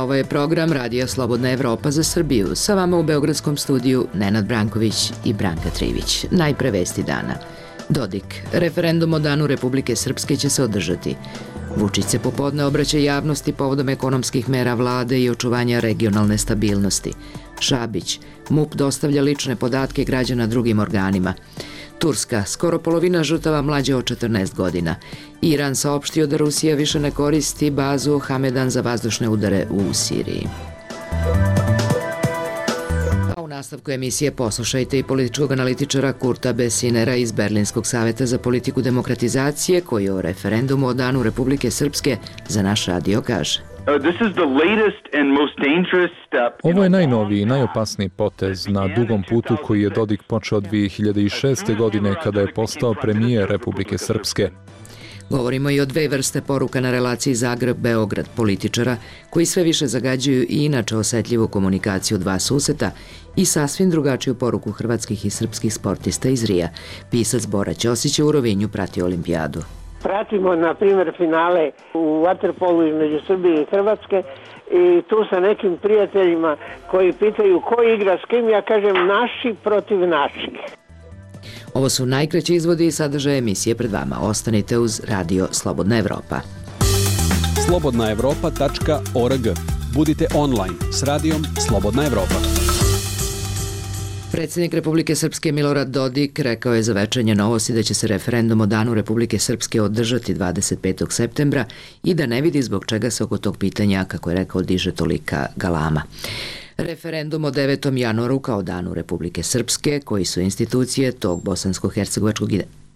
ovo je program Radija Slobodna Evropa za Srbiju. Sa vama u Beogradskom studiju Nenad Branković i Branka Trivić. Najpre vesti dana. Dodik. Referendum o Danu Republike Srpske će se održati. Vučić se popodne obraća javnosti povodom ekonomskih mera vlade i očuvanja regionalne stabilnosti. Šabić. MUP dostavlja lične podatke građana drugim organima. Turska. Skoro polovina žrtava mlađe od 14 godina. Iran saopštio da Rusija više ne koristi bazu Hamedan za vazdušne udare u Siriji. A u nastavku emisije poslušajte i političkog analitičara Kurta Besinera iz Berlinskog saveta za politiku demokratizacije, koji o referendumu o Danu Republike Srpske za naš radio kaže. Ovo je najnoviji i najopasniji potez na dugom putu koji je Dodik počeo 2006. godine kada je postao premijer Republike Srpske. Govorimo i o dve vrste poruka na relaciji Zagreb-Beograd, političara koji sve više zagađuju i inače osetljivu komunikaciju dva suseta i sasvim drugačiju poruku hrvatskih i srpskih sportista iz Rija. Pisac Bora Ćosić je u Rovinju pratio olimpijadu. Pratimo, na primjer, finale u vaterpolu između Srbije i Hrvatske i tu sa nekim prijateljima koji pitaju ko igra s kim, ja kažem naši protiv naših. Ovo su najkraći izvodi i sadržaje emisije pred vama. Ostanite uz Radio Slobodna Evropa. slobodnaevropa.org. Budite online s radijom Slobodna Evropa. Predsjednik Republike Srpske Milorad Dodik rekao je za Večernje novosti da će se referendum o Danu Republike Srpske održati 25. septembra i da ne vidi zbog čega se oko tog pitanja, kako je rekao, diže tolika galama. Referendum o 9. januaru kao Danu Republike Srpske, koji su institucije tog bosansko-hercegovačkog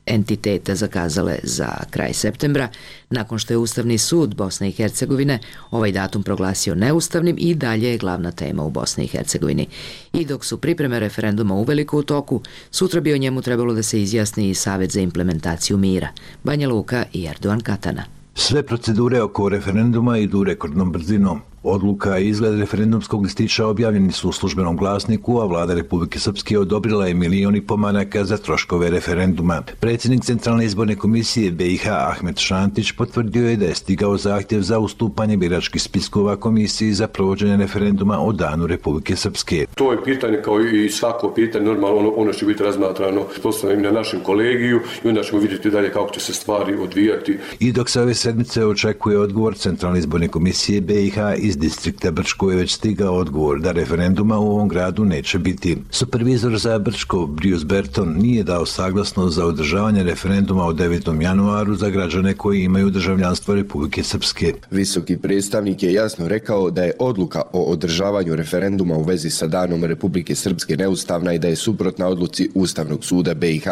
entiteta zakazale za kraj septembra, nakon što je Ustavni sud Bosne i Hercegovine ovaj datum proglasio neustavnim, i dalje je glavna tema u Bosni i Hercegovini. I dok su pripreme referenduma uveliko u toku, sutra bi o njemu trebalo da se izjasni i Savet za implementaciju mira. Banja Luka i Erdogan Katana. Sve procedure oko referenduma idu rekordnom brzinom. Odluka i izgled referendumskog listića objavljeni su u službenom glasniku, a vlada Republike Srpske odobrila je 1,5 miliona maraka za troškove referenduma. Predsjednik Centralne izborne komisije BiH Ahmet Šantić potvrdio je da je stigao zahtjev za ustupanje biračkih spiskova komisiji za provođenje referenduma o Danu Republike Srpske. To je pitanje kao i svako pitanje, normalno ono će biti razmatrano postavljeno na našem kolegiju i onda ćemo vidjeti dalje kako će se stvari odvijati. I dok se ove sedmice očekuje odgovor Centralne izborne komisije BiH iz distrikta Brčko je već stigao odgovor da referenduma u ovom gradu neće biti. Supervizor za Brčko, Bruce Berton, nije dao saglasnost za održavanje referenduma o 9. januaru za građane koji imaju državljanstvo Republike Srpske. Visoki predstavnik je jasno rekao da je odluka o održavanju referenduma u vezi sa Danom Republike Srpske neustavna i da je suprotna odluci Ustavnog suda BiH.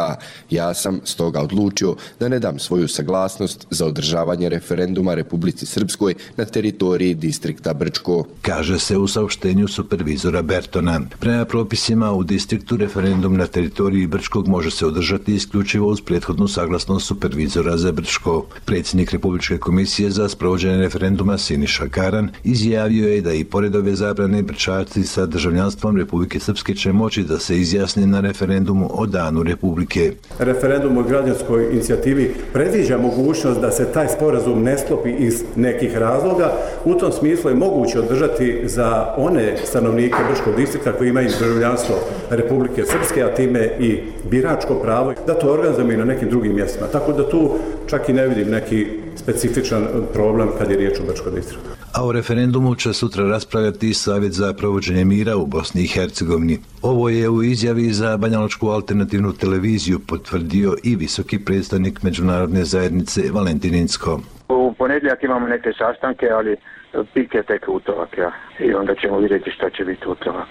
Ja sam stoga odlučio da ne dam svoju saglasnost za održavanje referenduma Republici Srpskoj na teritoriji distrikta Brčko, kaže se u saopštenju supervizora Bertona. Prema propisima u distriktu referendum na teritoriji Brčkog može se održati isključivo uz prethodnu saglasnost supervizora za Brčko. Predsjednik Republičke komisije za sprovođenje referenduma Siniša Karan izjavio je da i pored ove zabrane Brčaci sa državljanstvom Republike Srpske će moći da se izjasne na referendumu o Danu Republike. Referendum o građanskoj inicijativi predviđa mogućnost da se taj sporazum ne sklopi iz nekih razloga. U tom smislu je moguće održati za one stanovnike Brčkog distrikta koji imaju državljanstvo Republike Srpske, a time i biračko pravo, da to organizujemo na nekim drugim mjestima. Tako da tu čak i ne vidim neki specifičan problem kad je riječ o Brčkom distriktu. A o referendumu će sutra raspravljati Savjet za provođenje mira u Bosni i Hercegovini. Ovo je u izjavi za Banjalučku alternativnu televiziju potvrdio i visoki predstavnik međunarodne zajednice Valentin Incko. U ponedjeljak imamo neke sastanke, ali pik je tek utorak, i onda ćemo vidjeti šta će biti utorak.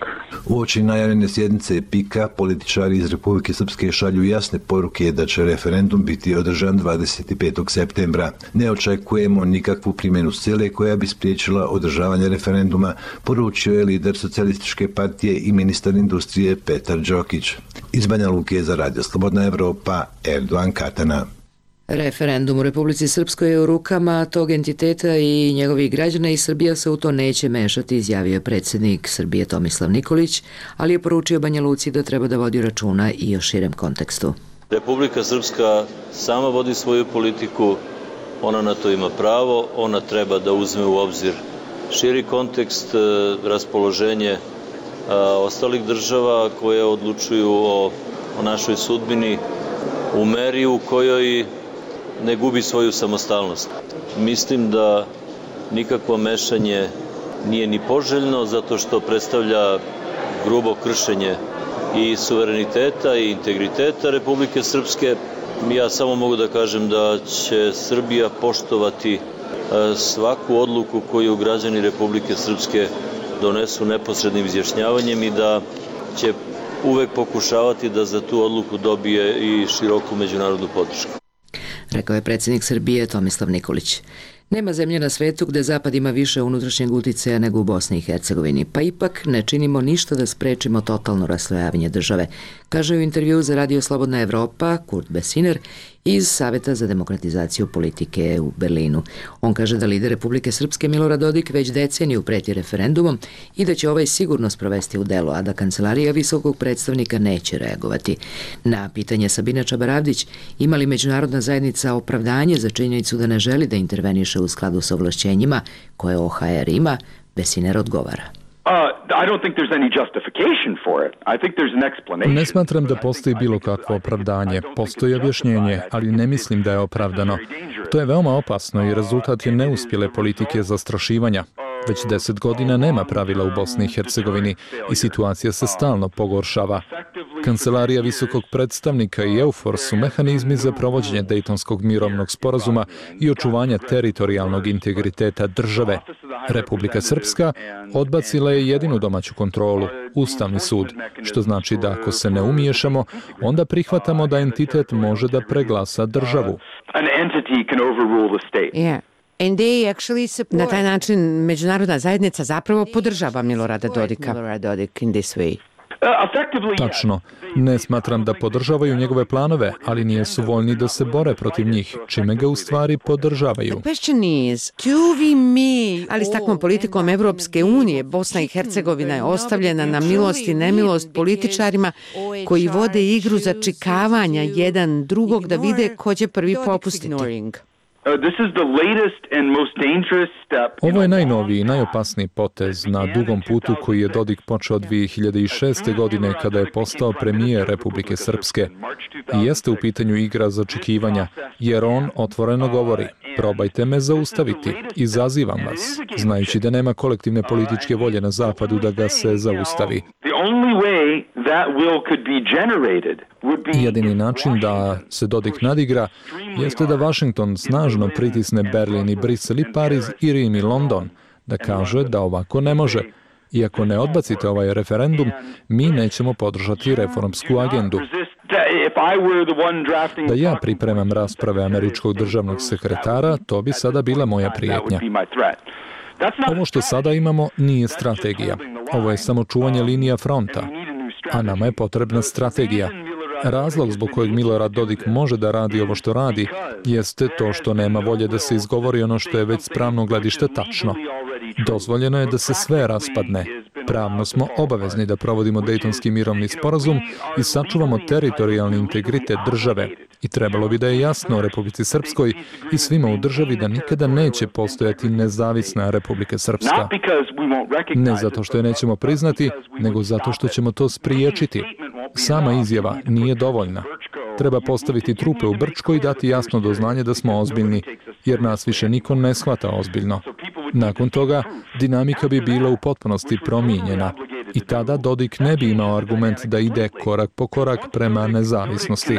Uoči najavljene sjednice PIK-a, političari iz Republike Srpske šalju jasne poruke da će referendum biti održan 25. septembra. Ne očekujemo nikakvu primjenu sile koja bi spriječila održavanje referenduma, poručio je lider Socijalističke partije i ministar industrije Petar Đokić. Iz Banja Luke za Radio Slobodna Evropa, Erdogan Katana. Referendum u Republici Srpskoj je u rukama tog entiteta i njegovih građana i Srbija se u to neće mešati, izjavio je predsjednik Srbije Tomislav Nikolić, ali je poručio Banja Luci da treba da vodi računa i o širem kontekstu. Republika Srpska sama vodi svoju politiku, ona na to ima pravo, ona treba da uzme u obzir širi kontekst raspoloženje ostalih država koje odlučuju o našoj sudbini u meri u kojoj ne gubi svoju samostalnost. Mislim da nikakvo mešanje nije ni poželjno zato što predstavlja grubo kršenje i suvereniteta i integriteta Republike Srpske. Ja samo mogu da kažem da će Srbija poštovati svaku odluku koju građani Republike Srpske donesu neposrednim izjašnjavanjem i da će uvek pokušavati da za tu odluku dobije i široku međunarodnu podršku. Rekao je predsjednik Srbije Tomislav Nikolić. Nema zemlje na svetu gde Zapad ima više unutrašnjeg uticaja nego u Bosni i Hercegovini, pa ipak ne činimo ništa da sprečimo totalno raslojavanje države, kaže u intervjuu za Radio Slobodna Evropa Kurt Besiner iz Saveta za demokratizaciju politike u Berlinu. On kaže da lider Republike Srpske Milorad Dodik već deceniju preti referendumom i da će ovaj sigurno sprovesti u delo, a da kancelarija visokog predstavnika neće reagovati. Na pitanje Sabine Čabaravdić ima li međunarodna zajednica opravdanje za činjenicu da ne želi da interveniše u skladu sa ovlašćenjima koje OHR ima, Besiner odgovara. Ne smatram da postoji bilo kakvo opravdanje. Postoji objašnjenje, ali ne mislim da je opravdano. To je veoma opasno i rezultat je neuspjele politike zastrašivanja. Već 10 godina nema pravila u Bosni i Hercegovini i situacija se stalno pogoršava. Kancelarija visokog predstavnika i EUFOR su mehanizmi za provođenje Dejtonskog mirovnog sporazuma i očuvanja teritorijalnog integriteta države. Republika Srpska odbacila je jedinu domaću kontrolu, Ustavni sud, što znači da ako se ne umiješamo, onda prihvatamo da entitet može da preglasa državu. Na taj način međunarodna zajednica zapravo podržava Milorada Dodika. Tačno. Ne smatram da podržavaju njegove planove, ali nijesu voljni da se bore protiv njih, čime ga u stvari podržavaju. Ali s takvom politikom Evropske unije, Bosna i Hercegovina je ostavljena na milost i nemilost političarima koji vode igru začikavanja jedan drugog da vide ko će prvi popustiti. Ovo je najnoviji i najopasniji potez na dugom putu koji je Dodik počeo 2006. godine kada je postao premijer Republike Srpske. I jeste u pitanju igra začekivanja, jer on otvoreno govori: probajte me zaustaviti, izazivam vas, znajući da nema kolektivne političke volje na zapadu da ga se zaustavi. Jedini način da se Dodik nadigra jeste da Washington snažno pritisne Berlin i Brisel i Pariz i Rim i London, da kaže da ovako ne može. I ako ne odbacite ovaj referendum, mi nećemo podržati reformsku agendu. Da ja pripremam rasprave američkog državnog sekretara, to bi sada bila moja prijetnja. Ovo što sada imamo nije strategija. Ovo je samo čuvanje linija fronta, a nama je potrebna strategija. Razlog zbog kojeg Milorad Dodik može da radi ovo što radi jeste to što nema volje da se izgovori ono što je već s pravnog gledišta tačno. Dozvoljeno je da se sve raspadne. Pravno smo obavezni da provodimo Dejtonski mirovni sporazum i sačuvamo teritorijalni integritet države. I trebalo bi da je jasno Republici Srpskoj i svima u državi da nikada neće postojati nezavisna Republika Srpska. Ne zato što je nećemo priznati, nego zato što ćemo to spriječiti. Sama izjava nije dovoljna. Treba postaviti trupe u Brčkoj i dati jasno do znanja da smo ozbiljni, jer nas više niko ne shvata ozbiljno. Nakon toga, dinamika bi bila u potpunosti promijenjena i tada Dodik ne bi imao argument da ide korak po korak prema nezavisnosti.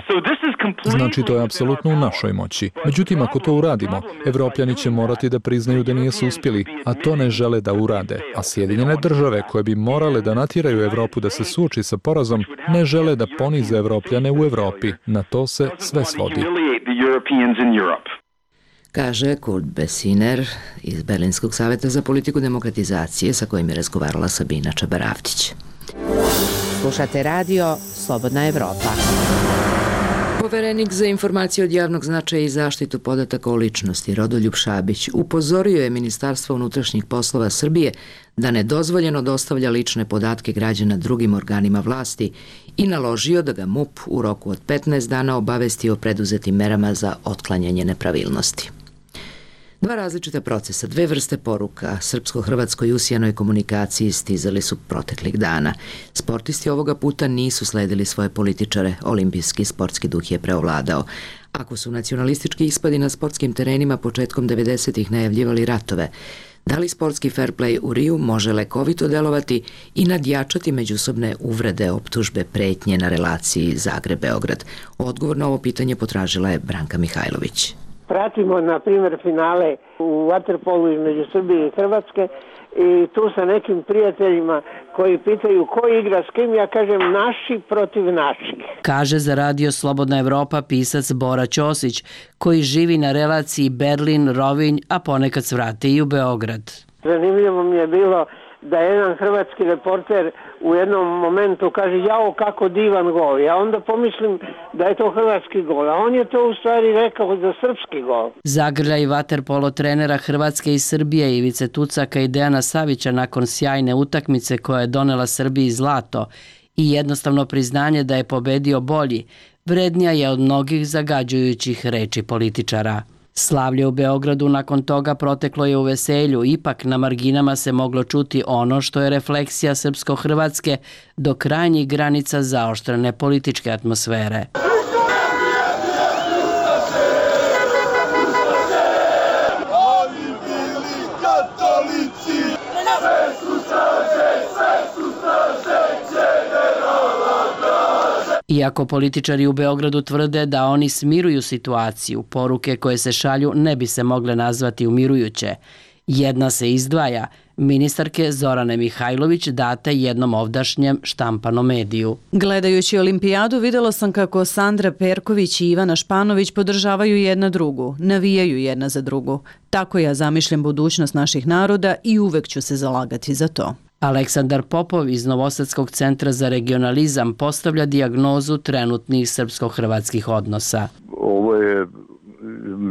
Znači, to je apsolutno u našoj moći. Međutim, ako to uradimo, Evropljani će morati da priznaju da nisu uspjeli, a to ne žele da urade. A Sjedinjene države, koje bi morale da natjeraju Evropu da se suoči sa porazom, ne žele da ponize Evropljane u Evropi. Na to se sve svodi. Kaže Kurt Besiner iz Berlinskog saveta za politiku demokratizacije sa kojim je razgovarala Sabina Čabaravdić. Slušate radio Slobodna Evropa. Poverenik za informacije od javnog značaja i zaštitu podataka o ličnosti Rodoljub Šabić upozorio je Ministarstvo unutrašnjih poslova Srbije da nedozvoljeno dostavlja lične podatke građana drugim organima vlasti i naložio da ga MUP u roku od 15 dana obavesti o preduzetim merama za otklanjanje nepravilnosti. Dva različita procesa, dve vrste poruka srpsko-hrvatskoj usijanoj komunikaciji stizali su proteklih dana. Sportisti ovoga puta nisu sledili svoje političare, olimpijski sportski duh je preovladao. Ako su nacionalistički ispadi na sportskim terenima početkom 90-ih najavljivali ratove, da li sportski fair play u Riju može lekovito delovati i nadjačati međusobne uvrede, optužbe, pretnje na relaciji Zagreb-Beograd? Odgovor na ovo pitanje potražila je Branka Mihajlović. Pratimo, na primjer, finale u vaterpolu između Srbije i Hrvatske i tu sa nekim prijateljima koji pitaju ko igra s kim, ja kažem naši protiv naših. Kaže za Radio Slobodna Evropa pisac Bora Ćosić, koji živi na relaciji Berlin-Rovinj, a ponekad svrate i u Beograd. Zanimljivo mi je bilo da jedan hrvatski reporter u jednom momentu kaže jao kako divan gol. Ja onda pomislim da je to hrvatski gol, a on je to u stvari rekao za srpski gol. Zagrljaj vaterpolo trenera Hrvatske i Srbije Ivice Tucaka i Dejana Savića nakon sjajne utakmice koja je donela Srbiji zlato i jednostavno priznanje da je pobedio bolji, vrednija je od mnogih zagađujućih reči političara. Slavlje u Beogradu nakon toga proteklo je u veselju, ipak na marginama se moglo čuti ono što je refleksija srpsko-hrvatske do krajnjih granica zaoštrene političke atmosfere. Iako političari u Beogradu tvrde da oni smiruju situaciju, poruke koje se šalju ne bi se mogle nazvati umirujuće. Jedna se izdvaja, ministarke Zorane Mihajlović date jednom ovdašnjem štampanom mediju. Gledajući olimpijadu vidjela sam kako Sandra Perković i Ivana Španović podržavaju jedna drugu, navijaju jedna za drugu. Tako ja zamišljam budućnost naših naroda i uvek ću se zalagati za to. Aleksandar Popov iz Novosadskog centra za regionalizam postavlja dijagnozu trenutnih srpsko-hrvatskih odnosa. Ovo je,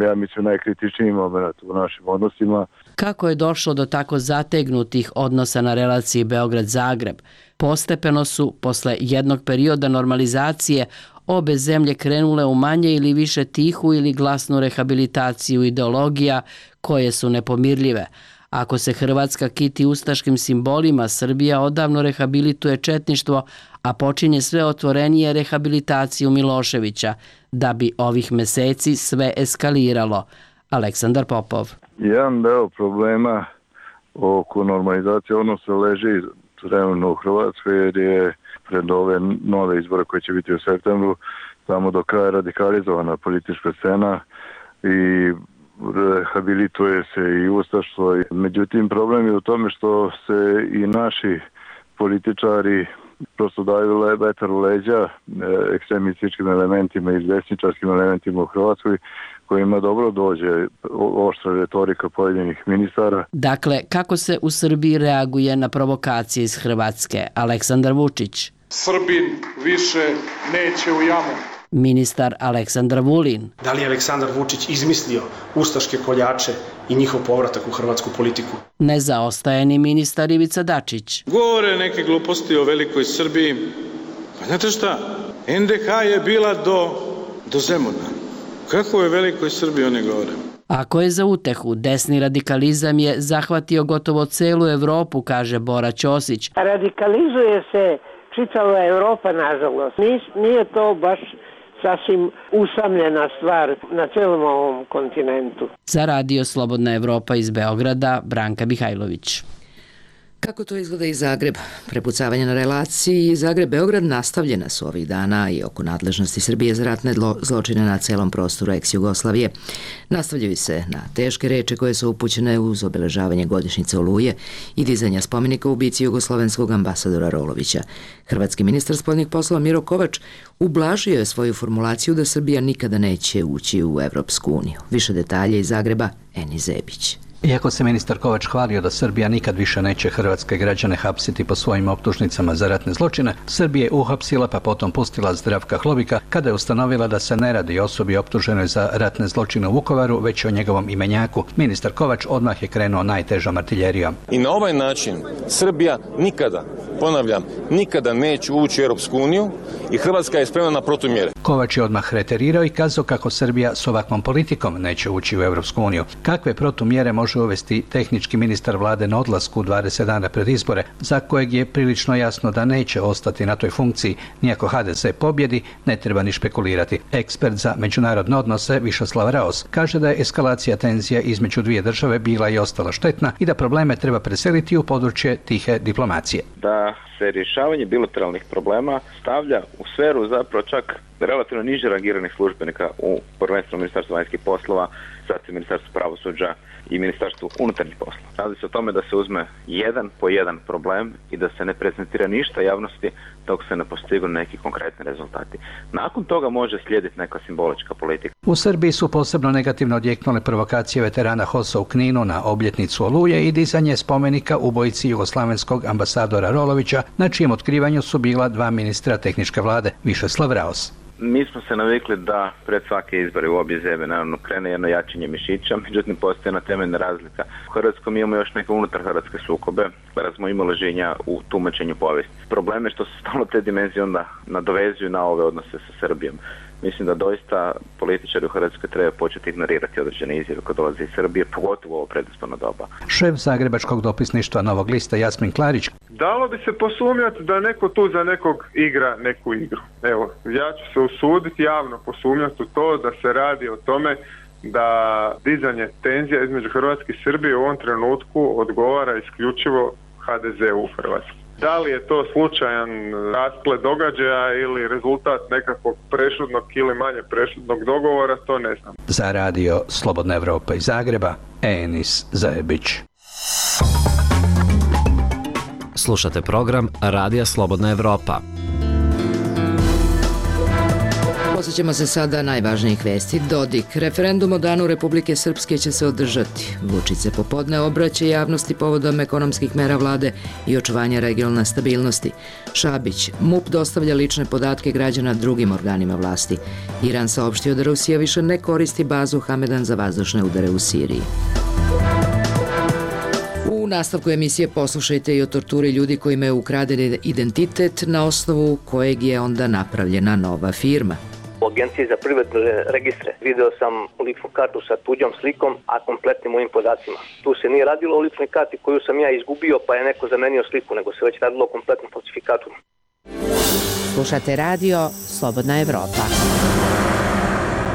ja mislim, najkritičniji moment u našim odnosima. Kako je došlo do tako zategnutih odnosa na relaciji Beograd-Zagreb? Postepeno su, posle jednog perioda normalizacije, obe zemlje krenule u manje ili više tihu ili glasnu rehabilitaciju ideologija koje su nepomirljive. Ako se Hrvatska kiti ustaškim simbolima, Srbija odavno rehabilituje četništvo, a počinje sve otvorenije rehabilitaciju Miloševića, da bi ovih meseci sve eskaliralo. Aleksandar Popov. Jedan deo problema oko normalizacije odnosa leži trenutno u Hrvatskoj, jer je pred ove nove izbore koje će biti u septembru samo do kraja radikalizovana politička scena i rehabilituje se i ustaštvo. Međutim, problem je u tome što se i naši političari prosto daju vetar u leđa ekstremističkim elementima i desničarskim elementima u Hrvatskoj, kojima dobro dođe oštra retorika pojedinih ministara. Dakle, kako se u Srbiji reaguje na provokacije iz Hrvatske? Aleksandar Vučić. Srbin više neće u jamu. Ministar Aleksandar Vulin. Da li je Aleksandar Vučić izmislio ustaške koljače i njihov povratak u hrvatsku politiku? Ne zaostaje ni ministar Ivica Dačić. Govore neke gluposti o velikoj Srbiji. Pa znate šta? NDH je bila do Zemuna. Kako je velikoj Srbiji oni govore? Ako je za utehu, desni radikalizam je zahvatio gotovo celu Evropu, kaže Bora Ćosić. Radikalizuje se čitava Evropa, nažalost. Nije to baš sasvim usamljena stvar na celom ovom kontinentu. Za Radio Slobodna Evropa iz Beograda, Branka Mihajlović. Kako to izgleda i Zagreb? Prepucavanje na relaciji Zagreb-Beograd nastavljena su ovih dana i oko nadležnosti Srbije za ratne zločine na celom prostoru ex-Jugoslavije. Nastavljaju se na teške reči koje su upućene uz obeležavanje godišnjice Oluje i dizanja spomenika ubici jugoslovenskog ambasadora Rolovića. Hrvatski ministar spoljnih poslova Miro Kovač ublažio je svoju formulaciju da Srbija nikada neće ući u Evropsku uniju. Više detalje iz Zagreba, Eni Zebić. Iako se ministar Kovač hvalio da Srbija nikad više neće hrvatske građane hapsiti po svojim optužnicama za ratne zločine, Srbija je uhapsila pa potom pustila Zdravka Hlobika kada je ustanovila da se ne radi o osobi optuženoj za ratne zločine u Vukovaru, već o njegovom imenjaku. Ministar Kovač odmah je krenuo najtežom artiljerijom. I na ovaj način Srbija nikada ponavljam, nikada neće ući u Europsku uniju i Hrvatska je spremna na protumjere. Kovač je odmah reterirao i kazao kako Srbija s ovakvom politikom neće ući u Europsku uniju. Kakve protumjere može uvesti tehnički ministar vlade na odlasku 20 dana pred izbore, za kojeg je prilično jasno da neće ostati na toj funkciji, nijako HDZ pobjedi, ne treba ni špekulirati. Ekspert za međunarodne odnose Višeslav Raos kaže da je eskalacija tenzija između dvije države bila i ostala štetna i da probleme treba preseliti u područje tihe diplomacije. Da se rješavanje bilateralnih problema stavlja u sferu zapravo čak relativno niže rangiranih službenika u prvenstveno Ministarstvu vanjskih poslova, zatim Ministarstvu pravosuđa i Ministarstvu unutarnjih poslova. Radi se o tome da se uzme jedan po jedan problem i da se ne prezentira ništa javnosti dok se ne postignu neki konkretni rezultati. Nakon toga može slijediti neka simbolička politika. U Srbiji su posebno negativno odjeknule provokacije veterana HOS-a u Kninu na obljetnicu Oluje i dizanje spomenika ubojici jugoslavenskog ambasadora Rolovića, na čijem otkrivanju su bila 2 ministra tehničke vlade, Višeslav Raos. Mi smo se navikli da pred svake izbore u obje zemlje naravno krene jedno jačanje mišića, međutim postoji jedna temeljna razlika. U Hrvatskoj mi imamo još neke unutar hrvatske sukobe, razmojimo leženja u tumačenju povijesti. Problem je što se stalno te dimenzije onda nadovezuju na ove odnose sa Srbijom. Mislim da doista političari u Hrvatskoj treba početi ignorirati određene izjave kad dolaze iz Srbije, pogotovo ovo predizborno doba. Šef Zagrebačkog dopisništva Novog lista Jasmin Klarić. Dalo bi se posumnjati da neko tu za nekog igra neku igru. Evo, ja ću se usuditi javno posumnjati u to da se radi o tome da dizanje tenzija između Hrvatske i Srbije u ovom trenutku odgovara isključivo HDZ-u u Hrvatskoj. Da li je to slučajan rasplet događaja ili rezultat nekakvog prešutnog ili manje prešutnog dogovora, to ne znam. Za radio Slobodna Evropa iz Zagreba, Enis Zajebić. Slušate program Radija Slobodna Evropa. Posjećamo se sada najvažnijih vesti. Dodik. Referendum o danu Republike Srpske će se održati. Vučić se popodne obraća javnosti povodom ekonomskih mera vlade i očuvanja regionalne stabilnosti. Šabić. MUP dostavlja lične podatke građana drugim organima vlasti. Iran saopštio da Rusija više ne koristi bazu Hamedan za vazdušne udare u Siriji. U nastavku emisije poslušajte i o torturi ljudi kojima je ukraden identitet na osnovu kojeg je onda napravljena nova firma. U Agenciji za privredne registre video sam ličnu kartu sa tuđom slikom, a kompletnim mojim podacima. Tu se nije radilo o ličnoj karti koju sam ja izgubio pa je neko zamenio sliku, nego se već radilo o kompletnom falsifikatu. Slušate radio Slobodna Evropa.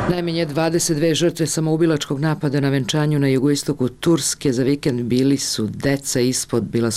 Najmanje 22 žrtve samoubilačkog napada na venčanju na jugoistoku Turske za vikend bila su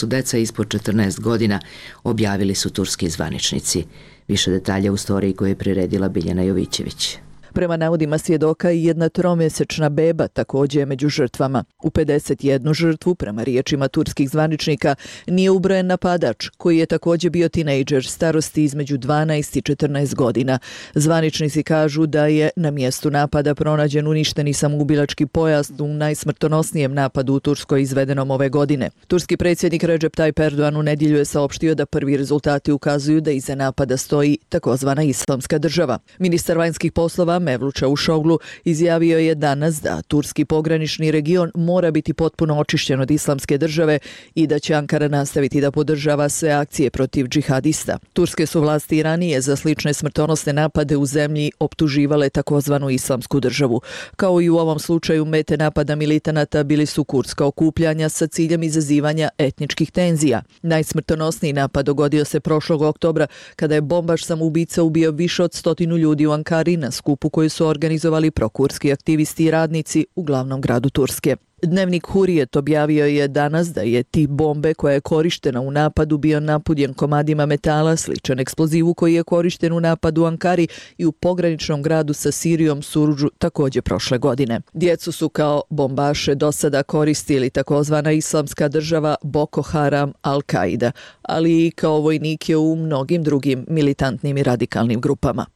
deca ispod 14 godina, objavili su turski zvaničnici. Više detalja u storiji koju je priredila Biljana Jovićević. Prema navodima svjedoka i jedna 3-mjesečna beba također je među žrtvama. U 51 žrtvu, prema riječima turskih zvaničnika, nije ubrojen napadač, koji je također bio tinejdžer starosti između 12 i 14 godina. Zvaničnici kažu da je na mjestu napada pronađen uništeni samoubilački pojas u najsmrtonosnijem napadu u Turskoj izvedenom ove godine. Turski predsjednik Recep Tayyip Erdogan u nedjelju je saopštio da prvi rezultati ukazuju da iza napada stoji takozvana Islamska država. Ministar vanjskih poslova Mevlut Čavuşoglu izjavio je danas da turski pogranični region mora biti potpuno očišćen od Islamske države i da će Ankara nastaviti da podržava sve akcije protiv džihadista. Turske su vlasti ranije za slične smrtonosne napade u zemlji optuživale takozvanu Islamsku državu. Kao i u ovom slučaju, mete napada militanata bili su kurdska okupljanja sa ciljem izazivanja etničkih tenzija. Najsmrtonosniji napad dogodio se prošlog oktobra kada je bombaš samoubica ubio više od 100 ljudi u Ankari na skupu koju su organizovali prokurski aktivisti i radnici u glavnom gradu Turske. Dnevnik Hurijet objavio je danas da je tip bombe koja je korištena u napadu bio napunjen komadima metala sličan eksplozivu koji je korišten u napadu u Ankari i u pograničnom gradu sa Sirijom Surudžu također prošle godine. Djecu su kao bombaše do sada koristili takozvana Islamska država, Boko Haram, Al-Qaida, ali i kao vojnike u mnogim drugim militantnim i radikalnim grupama.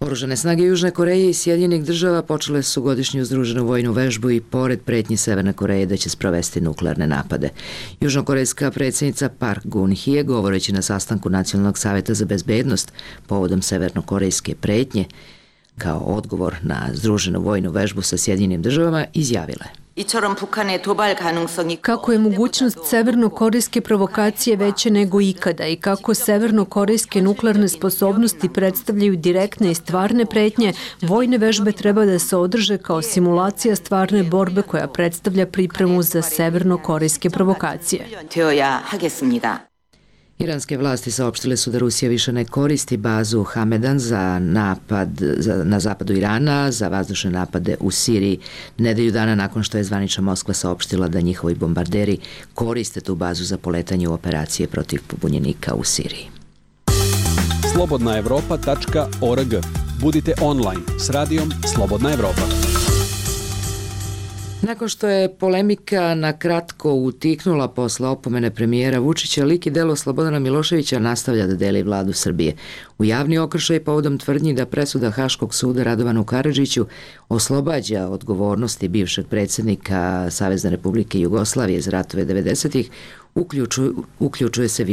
Oružane snage Južne Koreje i Sjedinjenih država počele su godišnju združenu vojnu vežbu i pored pretnji Severne Koreje da će sprovesti nuklearne napade. Južnokorejska predsjednica Park Geun-hye, govoreći na sastanku Nacionalnog savjeta za bezbednost povodom severnokorejske pretnje, kao odgovor na združenu vojnu vežbu sa Sjedinjenim državama, izjavila je: Kako je mogućnost severnokorejske provokacije veća nego ikada i kako severnokorejske nuklearne sposobnosti predstavljaju direktne i stvarne pretnje, vojne vežbe treba da se održe kao simulacija stvarne borbe koja predstavlja pripremu za severnokorejske provokacije. Iranske vlasti saopštile su da Rusija više ne koristi bazu Hamedan za napad na zapadu Irana, za vazdušne napade u Siriji, nedelju dana nakon što je zvanična Moskva saopštila da njihovi bombarderi koriste tu bazu za poletanje u operacije protiv pobunjenika u Siriji. slobodnaevropa.org. Budite online s radijom Slobodna Evropa. Nakon što je polemika na kratko utihnula posle opomene premijera Vučića, lik i delo Slobodana Miloševića nastavlja da deli vladu Srbije. U javni okršaj povodom tvrdnji da presuda Haškog suda Radovanu Karadžiću oslobađa odgovornosti bivšeg predsjednika Savezne Republike Jugoslavije za ratove 90-ih, uključuje se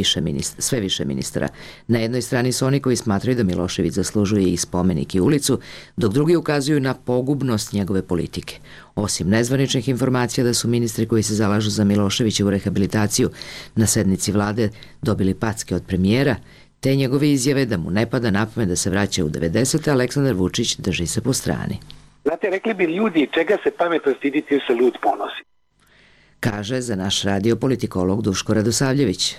sve više ministara. Na jednoj strani su oni koji smatraju da Milošević zaslužuje i spomenik i ulicu, dok drugi ukazuju na pogubnost njegove politike. Osim nezvaničnih informacija da su ministri koji se zalažu za Miloševićevu rehabilitaciju na sednici vlade dobili packe od premijera, te njegove izjave da mu ne pada na pamet da se vraća u 90. Aleksandar Vučić drži se po strani. Znate, rekli bi ljudi čega se pametno stiditi, se lud ponosi. Kaže za naš radio politikolog Duško Radosavljević.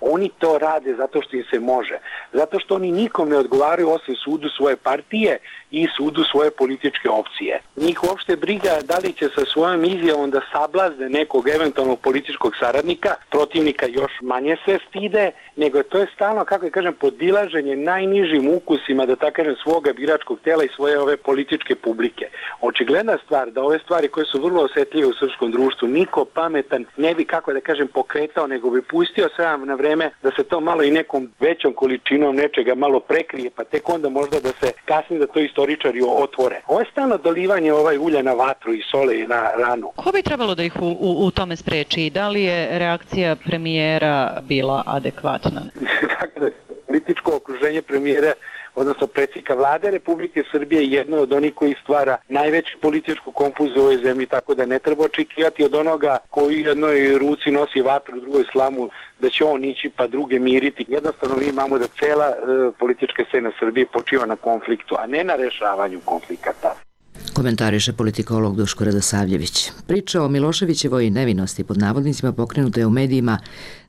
Oni to rade zato što im se može. Zato što oni nikom ne odgovaraju osim sudu svoje partije i sudu svoje političke opcije. Njih uopšte briga da li će sa svojom izjavom da sablazne nekog eventualnog političkog saradnika, protivnika još manje se stide, nego to je stalno, kako je kažem, podilaženje najnižim ukusima, da tako kažem, svoga biračkog tela i svoje ove političke publike. Očigledna stvar da ove stvari koje su vrlo osetljive u srpskom društvu niko pametan ne bi, kako da kažem, pokretao, nego bi pustio sve na vreme da se to malo i nekom većom količinom nečega malo prekrije, pa tek onda možda da se kasnije da to istoričari otvore. Ovo je stalno dolivanje ulja na vatru i sole na ranu. Ko bi trebalo da ih u tome spreči? Da li je reakcija premijera bila adekvatna? Dakle, političko okruženje premijera, odnosno predsjednika vlade Republike Srbije, je jedno od onih koji stvara najveću političku konfuziju u ovoj zemlji, tako da ne treba očekivati od onoga koji u jednoj ruci nosi vatru, u drugoj slamu, da će on ići pa druge miriti. Jednostavno mi imamo da cela politička scena Srbije počiva na konfliktu, a ne na rešavanju konflikata. Komentariše politikolog Duško Radosavljević. Priča o Miloševićevoj nevinosti pod navodnicima pokrenuta je u medijima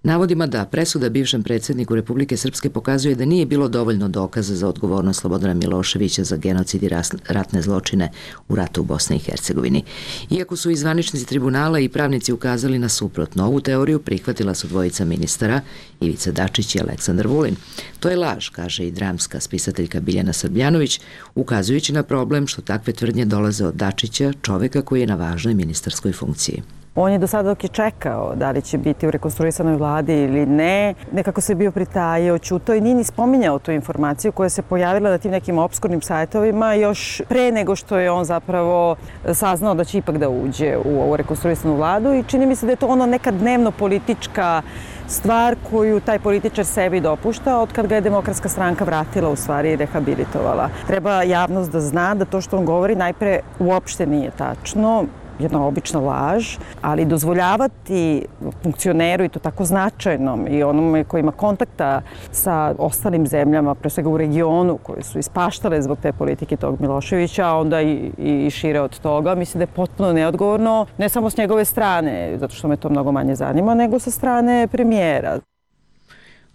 navodima da presuda bivšem predsjedniku Republike Srpske pokazuje da nije bilo dovoljno dokaza za odgovornost Slobodana Miloševića za genocid i ratne zločine u ratu u Bosni i Hercegovini. Iako su i zvaničnici tribunala i pravnici ukazali na suprotno, ovu teoriju prihvatila su dvojica ministara, Ivica Dačić i Aleksandar Vulin. To je laž, kaže i dramska spisateljka Biljana Srbljanović, ukazujući na problem što takve tvrdnje dolaze od Dačića, čoveka koji je na važnoj ministarskoj funkciji. On je do sada dok je čekao da li će biti u rekonstruisanoj vladi ili ne, nekako se bio pritajio, ćutao i nije ni spominjao tu informaciju koja se pojavila na tim nekim opskurnim sajtovima još pre nego što je on zapravo saznao da će ipak da uđe u ovu rekonstruisanu vladu i čini mi se da je to ono neka dnevno politička stvar koju taj političar sebi dopušta od kad ga je Demokratska stranka vratila, u stvari, i rehabilitovala. Treba javnost da zna da to što on govori najpre uopšte nije tačno, jedna obična laž, ali dozvoljavati funkcioneru i to tako značajnom i onome koji ima kontakta sa ostalim zemljama, pre svega u regionu, koje su ispaštale zbog te politike tog Miloševića, a onda i šire od toga, mislim da je potpuno neodgovorno, ne samo s njegove strane, zato što me to mnogo manje zanima, nego sa strane premijera.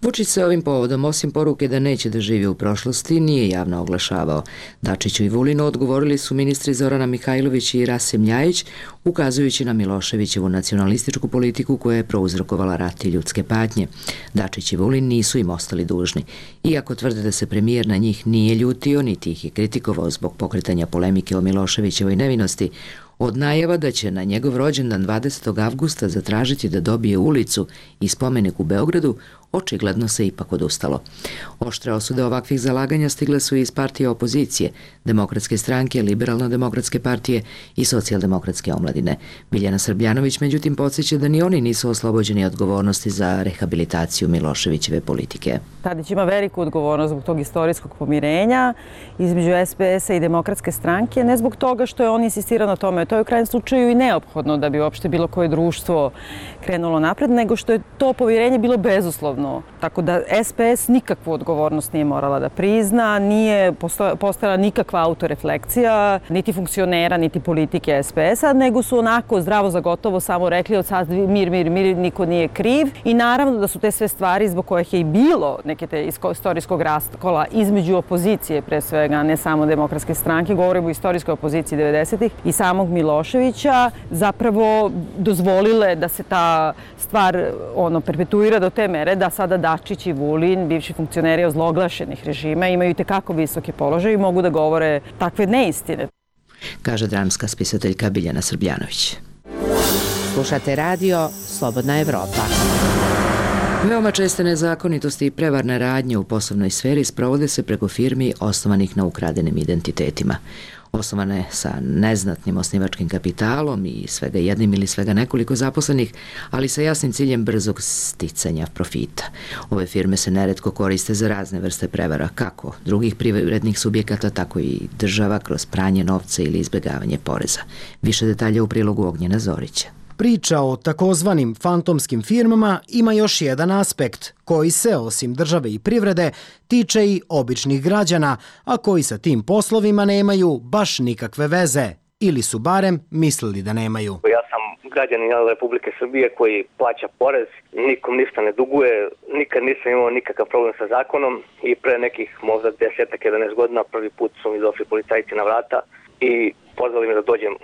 Vučić se ovim povodom, osim poruke da neće da živi u prošlosti, nije javno oglašavao. Dačiću i Vulinu odgovorili su ministri Zorana Mihajlović i Rasim Ljajić, ukazujući na Miloševićevu nacionalističku politiku koja je prouzrokovala rat i ljudske patnje. Dačić i Vulin nisu im ostali dužni. Iako tvrde da se premijer na njih nije ljutio, niti ih je kritikovao zbog pokretanja polemike o Miloševićevoj nevinosti, od najava da će na njegov rođendan 20. avgusta zatražiti da dobije ulicu i spomenik u Beogradu, očigledno se ipak odustalo. Oštre osude ovakvih zalaganja stigle su iz partije opozicije, Demokratske stranke, Liberalno-demokratske partije i Socijaldemokratske omladine. Biljana Srbljanović međutim podsjeća da ni oni nisu oslobođeni odgovornosti za rehabilitaciju Miloševićeve politike. Tadić ima veliku odgovornost zbog tog istorijskog pomirenja između SPS-a i Demokratske stranke, ne zbog toga što je on insistirao na tome, to to je u krajnjem slučaju i neophodno da bi uopšte bilo koje društvo krenulo napred, nego što je to povjerenje bilo bezuslovno. Tako da SPS nikakvu odgovornost nije morala da prizna, nije postojala nikakva autorefleksija, niti funkcionera, niti politike SPS-a, nego su onako zdravo za gotovo samo rekli od sad mir, niko nije kriv. I naravno da su te sve stvari zbog kojih je i bilo neke te istorijskog raskola između opozicije, pre svega, ne samo Demokratske stranke, govorimo o istorijskoj opoziciji 90-ih i samog Miloševića, zapravo dozvolile da se ta stvar perpetuira do te mere da sada Dačić i Vulin, bivši funkcioneri ozloglašenih režima, imaju i tekako visoke položaje i mogu da govore takve neistine. Kaže dramska spisateljka Biljana Srbljanović. Slušate radio Slobodna Evropa. Veoma česte nezakonitosti i prevarne radnje u poslovnoj sferi sprovode se preko firmi osnovanih na ukradenim identitetima. Osnovane sa neznatnim osnivačkim kapitalom i svega jednim ili svega nekoliko zaposlenih, ali sa jasnim ciljem brzog sticanja profita. Ove firme se neretko koriste za razne vrste prevara, kako drugih privrednih subjekata, tako i država kroz pranje novca ili izbjegavanje poreza. Više detalja u prilogu Ognjena Zorića. Priča o takozvanim fantomskim firmama ima još jedan aspekt, koji se, osim države i privrede, tiče i običnih građana, a koji sa tim poslovima nemaju baš nikakve veze, ili su barem mislili da nemaju. Ja sam građanin Republike Srbije koji plaća porez, nikom ništa ne duguje, nikad nisam imao nikakav problem sa zakonom i pre nekih možda 10-11 godina prvi put su mi došli policajci na vrata i pozvali me da dođem.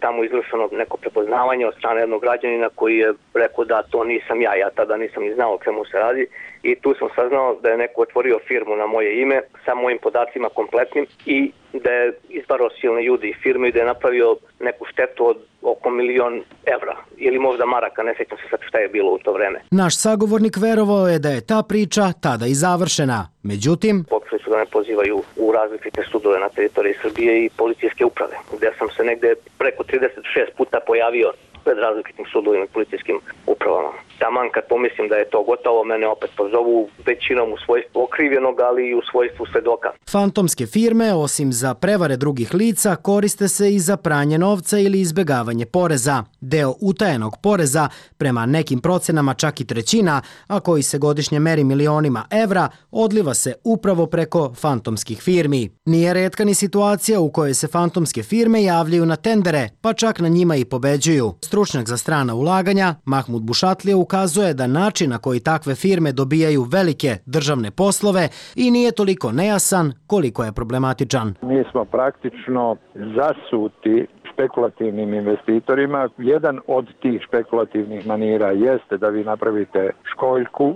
Tamo izvršeno neko prepoznavanje od strane jednog građanina koji je rekao da to nisam ja tada nisam ni znao o čemu se radi i tu sam saznao da je neko otvorio firmu na moje ime sa mojim podacima kompletnim i da je izvarao silne ljude i firme i da je napravio neku štetu od oko 1.000.000 evra ili možda maraka, ne sjećam se sad šta je bilo u to vreme. Naš sagovornik verovao je da je ta priča tada i završena. Međutim, pokušali su da me pozivaju u različite sudove na teritoriji Srbije i policijske uprave, gde sam se negde preko 36 puta pojavio pred različitim sudovima i policijskim upravama. Taman kad pomislim da je to gotovo, mene opet pozovu većinom u svojstvu okrivljenog, ali i u svojstvu svedoka. Fantomske firme, osim za prevare drugih lica, koriste se i za pranje novca ili izbjegavanje poreza. Deo utajenog poreza, prema nekim procenama čak i trećina, a koji se godišnje meri milionima evra, odliva se upravo preko fantomskih firmi. Nije retka ni situacija u kojoj se fantomske firme javljaju na tendere, pa čak na njima i pobeđuju. Stručnjak za strana ulaganja, Mahmud Bušatlija, ukazuje da način na koji takve firme dobijaju velike državne poslove i nije toliko nejasan koliko je problematičan. Mi smo praktično zasuti špekulativnim investitorima. Jedan od tih špekulativnih manira jeste da vi napravite školjku,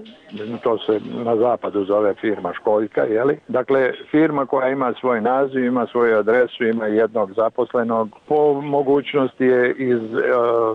to se na zapadu zove firma školjka, jeli? Dakle, firma koja ima svoj naziv, ima svoju adresu, ima jednog zaposlenog, po mogućnosti je iz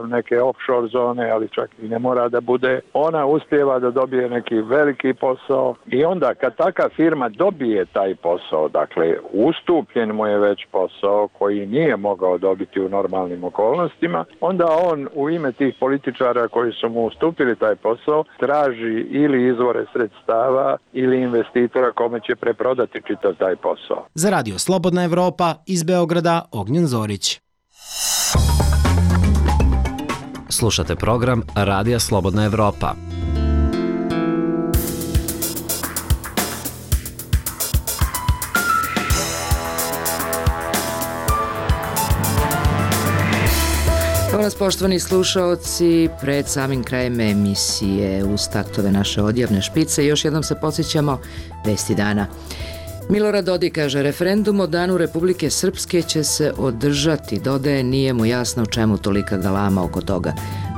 neke offshore zone, ali čak i ne mora da bude. Ona uspijeva da dobije neki veliki posao i onda kad taka firma dobije taj posao, dakle, ustupljen mu je već posao koji nije mogao dobiti u normalnim okolnostima, onda on u ime tih političara koji su mu ustupili taj posao traži ili izvore sredstava ili investitora kome će preprodati čitav taj posao. Za Radio Slobodna Evropa iz Beograda, Ognjen Zorić. Slušate program Radija Slobodna Evropa. Evo nas, poštovani slušaoci, pred samim krajem emisije uz taktove naše odjavne špice još jednom se podsjećamo vesti dana. Milorad Dodik kaže, referendum o Danu Republike Srpske će se održati, dodaje, nije mu jasno čemu tolika galama oko toga.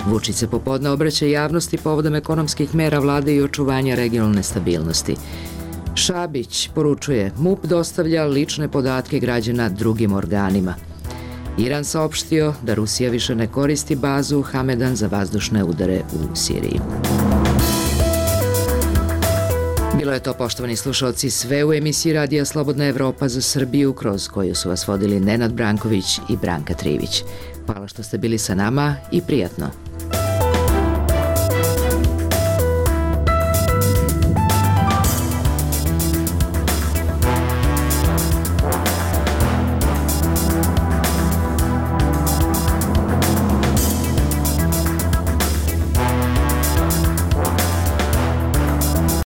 Vučić se popodne obraća javnosti povodom ekonomskih mera vlade i očuvanja regionalne stabilnosti. Šabić poručuje, MUP dostavlja lične podatke građana drugim organima. Iran saopštio da Rusija više ne koristi bazu Hamedan za vazdušne udare u Siriji. Bilo je to, poštovani slušalci, sve u emisiji Radija Slobodna Evropa za Srbiju, kroz koju su vas vodili Nenad Branković i Branka Trivić. Hvala što ste bili sa nama i prijatno.